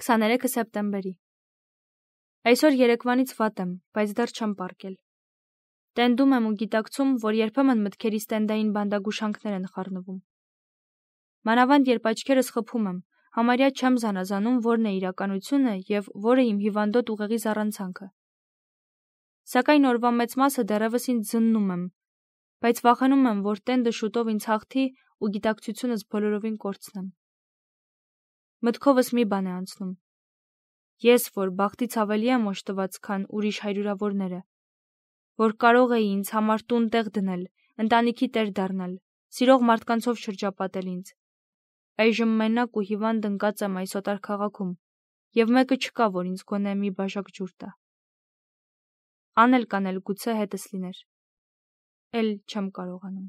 23 սեպտեմբերի։ Այսօր երեկվանից վատ եմ, բայց դեռ չեմ պառկել։ Տենդում եմ ու գիտակցում, որ երբեմն մտքերիս տենդային բանդագուշանքներ են խառնվում։ Մանավանդ երբ աչքերս խփում եմ, համարյա չեմ զանազանում, որն է իրականությունը եւ որը իմ հիվանդոտ ուղեղի զառանցանքը։ Սակայն օրվա մեծ մասը դեռևս ինձ զննում եմ, բայց վախենում եմ, որ տենդը շուտով ինձ հաղթի ու գիտակցությունս բոլորովին կորցնեմ։ Մտքովս մի բան է անցնում. ես, որ բախտից ավելի եմ օժտված, քան ուրիշ հարյուրավորները, որ կարող էի ինձ համար տուն տեղ դնել, ընտանիքի տեր դառնալ, սիրող մարդկանցով շրջապատել ինձ։ Այժմ մենակ ու հիվանդ ընկած եմ այս օտար քաղաքում, եւ մեկը չկա, որ ինձ գոնե մի բաժակ ջուր տա։ Անել կանել գուցե հետս լիներ, էլ չեմ կարողանում։